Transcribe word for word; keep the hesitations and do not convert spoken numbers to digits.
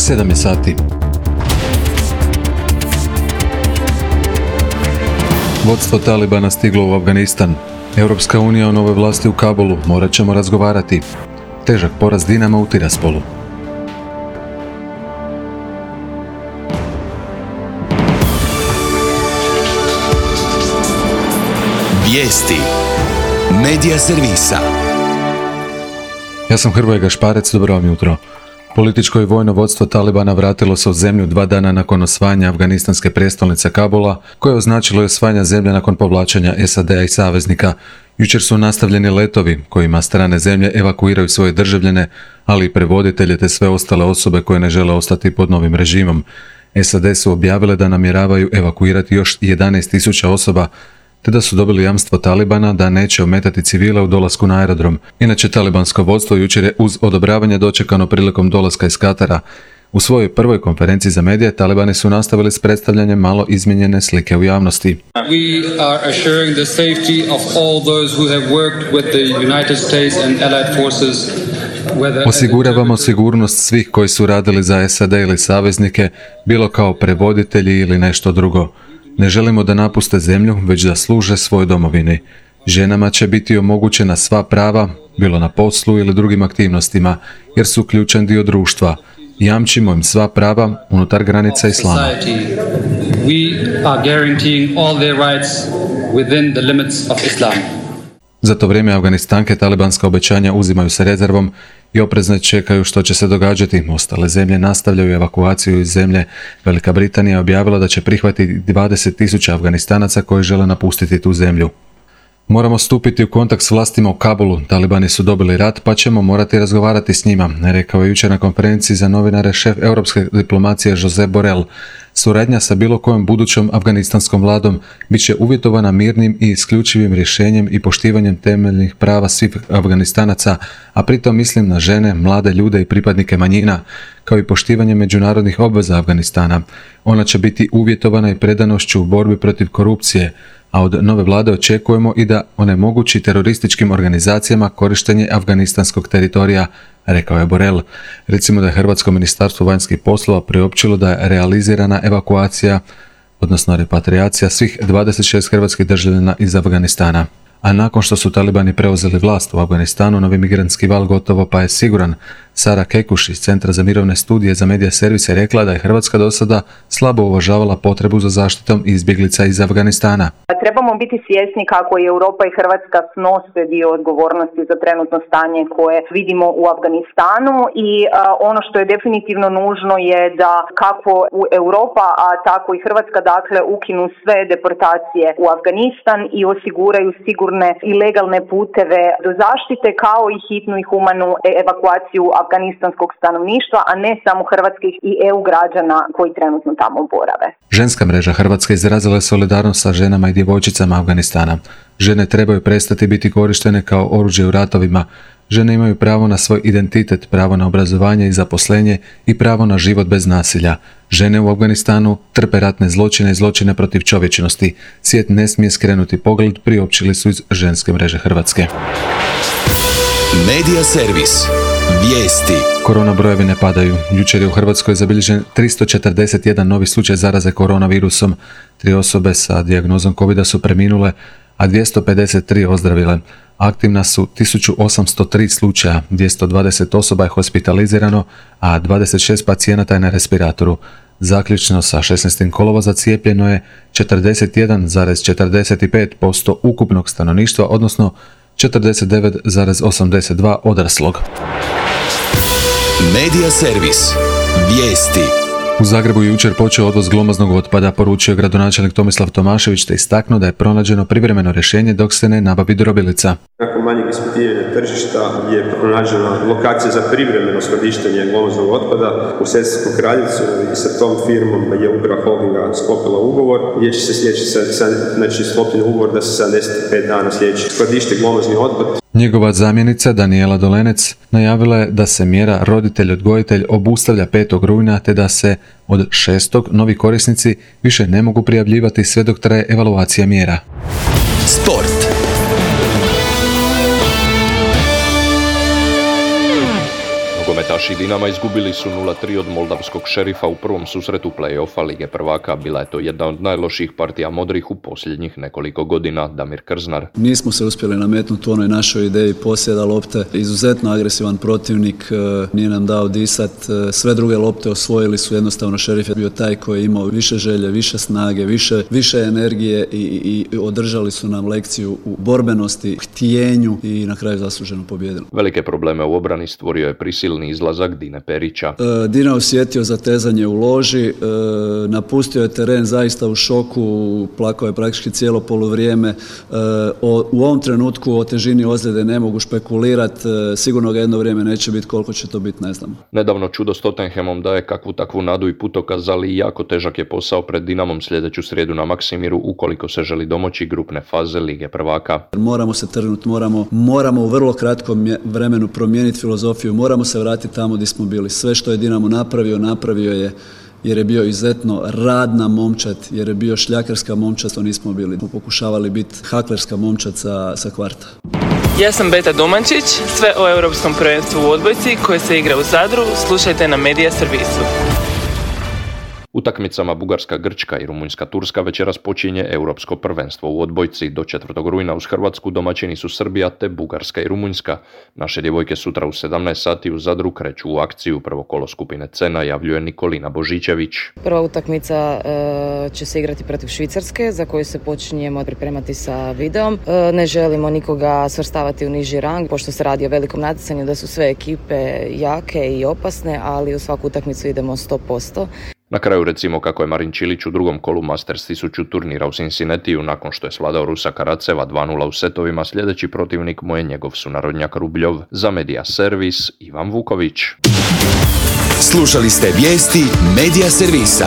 sedam je sati. Vodstvo Talibana stiglo u Afganistan. Europska unija o nove vlasti u Kabulu, morat ćemo razgovarati. Težak poraz Dinama u Tiraspolu. Vijesti Medija servisa. Ja sam Hrvoje Gašparec, dobro vam jutro. Političko i vojno vodstvo Talibana vratilo se u zemlju dva dana nakon osvajanja afganistanske prijestolnice Kabula, koje je označilo i osvajanja zemlje nakon povlačenja S A D-a i saveznika. Jučer su nastavljeni letovi kojima strane zemlje evakuiraju svoje državljane, ali i prevoditelje te sve ostale osobe koje ne žele ostati pod novim režimom. S A D su objavile da namjeravaju evakuirati još jedanaest tisuća osoba, te da su dobili jamstvo Talibana da neće ometati civile u dolasku na aerodrom. Inače, talibansko vodstvo jučer je uz odobravanje dočekano prilikom dolaska iz Katara. U svojoj prvoj konferenciji za medije, Talibani su nastavili s predstavljanjem malo izmijenjene slike u javnosti. We are assuring the safety of all those who have worked with the United States and Allied forces. Osiguravamo sigurnost svih koji su radili za S A D ili saveznike, bilo kao prevoditelji ili nešto drugo. Ne želimo da napuste zemlju, već da služe svojoj domovini. Ženama će biti omogućena sva prava, bilo na poslu ili drugim aktivnostima, jer su ključan dio društva. Jamčimo im sva prava unutar granica islama. Za to vrijeme Afganistanke talibanska obećanja uzimaju se rezervom i oprezno čekaju što će se događati. Ostale zemlje nastavljaju evakuaciju iz zemlje. Velika Britanija je objavila da će prihvatiti dvadeset tisuća Afganistanaca koji žele napustiti tu zemlju. Moramo stupiti u kontakt s vlastima u Kabulu. Talibani su dobili rat, pa ćemo morati razgovarati s njima, rekao je jučer na konferenciji za novinare šef europske diplomacije Josep Borrell. Suradnja sa bilo kojom budućom afganistanskom vladom bit će uvjetovana mirnim i isključivim rješenjem i poštivanjem temeljnih prava svih Afganistanaca, a pritom mislim na žene, mlade ljude i pripadnike manjina, kao i poštivanje međunarodnih obveza Afganistana. Ona će biti uvjetovana i predanošću u borbi protiv korupcije, a od nove vlade očekujemo i da onemogući terorističkim organizacijama korištenje afganistanskog teritorija, rekao je Borrell. Recimo da je Hrvatsko ministarstvo vanjskih poslova priopćilo da je realizirana evakuacija, odnosno repatriacija svih dvadeset šest hrvatskih državljana iz Afganistana. A nakon što su Talibani preuzeli vlast u Afganistanu, novi migrantski val gotovo pa je siguran. Sara Kekuš iz Centra za mirovne studije za medija servis je rekla da je Hrvatska do sada slabo uvažavala potrebu za zaštitom izbjeglica iz Afganistana. Trebamo biti svjesni kako i Europa i Hrvatska snose dio odgovornosti za trenutno stanje koje vidimo u Afganistanu i a, ono što je definitivno nužno je da kako u Europa, a tako i Hrvatska dakle ukinu sve deportacije u Afganistan i osiguraju sigurne i legalne puteve do zaštite kao i hitnu i humanu evakuaciju afganistanskog stanovništva, a ne samo hrvatskih i E U građana koji trenutno tamo borave. Ženska mreža Hrvatske izrazila je solidarnost sa ženama i djevojčicama Afganistana. Žene trebaju prestati biti korištene kao oružje u ratovima. Žene imaju pravo na svoj identitet, pravo na obrazovanje i zaposlenje i pravo na život bez nasilja. Žene u Afganistanu trpe ratne zločine i zločine protiv čovječnosti. Svijet ne smije skrenuti pogled, priopćili su iz ženske mreže Hrvatske. Medija servis. Vijesti. Korona brojevi ne padaju. Jučer je u Hrvatskoj zabilježen tristo četrdeset jedan novi slučaj zaraze koronavirusom. Tri osobe sa dijagnozom covida su preminule, a dvjesto pedeset tri ozdravile. Aktivna su tisuću osamsto tri slučaja, dvjesto dvadeset osoba je hospitalizirano, a dvadeset šest pacijenata je na respiratoru. Zaključno sa šesnaestog kolovoza cijepljeno je četrdeset jedan zarez četrdeset pet posto ukupnog stanovništva, odnosno četrdeset devet zarez osamdeset dva odraslog. Medija servis. Vijesti. U Zagrebu je jučer počeo odvoz glomaznog otpada, poručio gradonačelnik Tomislav Tomašević, te istaknuo da je pronađeno privremeno rješenje dok se ne nabavi drobilica. Nakon manjeg ispitivanja tržišta je pronađena lokacija za privremeno skladištenje glomaznog otpada u Sesvetskoj Kraljici i sa tom firmom je uprava holdinga sklopila ugovor gdje će se sljedeći, znači sklopljen ugovor da se sedamdeset pet dana sljedeći skladište glomazni otpad. Njegova zamjenica Danijela Dolenec najavila je da se mjera roditelj-odgojitelj obustavlja petog rujna te da se od šestog novi korisnici više ne mogu prijavljivati sve dok traje evaluacija mjera. Sport. Nogometaši Dinama izgubili su nula tri od moldavskog Šerifa u prvom susretu play-offa Lige prvaka. Bila je to jedna od najlošijih partija modrih u posljednjih nekoliko godina. Damir Krznar. Nismo se uspjeli nametnuti u onoj našoj ideji posjeda lopte. Izuzetno agresivan protivnik, nije nam dao disat. Sve druge lopte osvojili su, jednostavno Šerif je bio taj koji je imao više želje, više snage, više, više energije i, i održali su nam lekciju u borbenosti, htjenju i na kraju zasluženo pobijedili. Velike probleme u obrani stvorio je prisilni izlazak Dine Perića. E, Dina osjetio zatezanje u loži, e, napustio je teren zaista u šoku, plakao je praktički cijelo poluvrijeme. E, o, u ovom trenutku o težini ozljede ne mogu špekulirati, e, sigurno ga jedno vrijeme neće biti, koliko će to biti ne znamo. Nedavno čudo s Tottenhamom daje kakvu takvu nadu i putokaz, ali jako težak je posao pred Dinamom sljedeću srijedu na Maksimiru ukoliko se želi domoći grupne faze Lige prvaka. Moramo se trgnuti, moramo, moramo u vrlo kratkom vremenu promijeniti filozofiju, moramo se vratiti tamo gdje smo bili. Sve što je Dinamo napravio, napravio je jer je bio izuzetno radna momčad, jer je bio šljakarska momčad, to nismo bili. Pokušavali biti haklerska momčad sa, sa kvarta. Ja sam Beta Domančić, sve o Europskom prvenstvu u odbojci koje se igra u Zadru, slušajte na Medija servisu. Utakmicama Bugarska-Grčka i Rumunjska-Turska večeras počinje Europsko prvenstvo u odbojci. Do četvrtog rujna uz Hrvatsku domaćini su Srbija te Bugarska i Rumunjska. Naše djevojke sutra u sedamnaest sati u Zadru kreću u akciju. Prvo kolo skupine C najavljuje Nikolina Božićević. Prva utakmica e, će se igrati protiv Švicarske, za koju se počinjemo pripremati sa videom. E, ne želimo nikoga svrstavati u niži rang, pošto se radi o velikom natjecanju da su sve ekipe jake i opasne, ali u svaku utakmicu idemo sto posto. Na kraju recimo kako je Marin Čilić u drugom kolu Masters tisuću turnira u Cincinnatiju nakon što je svladao Rusa Karaceva dva nula u setovima. Sljedeći protivnik mu je njegov sunarodnjak Rubljov. Za Medija servis Ivan Vuković. Slušali ste vijesti Medija servisa.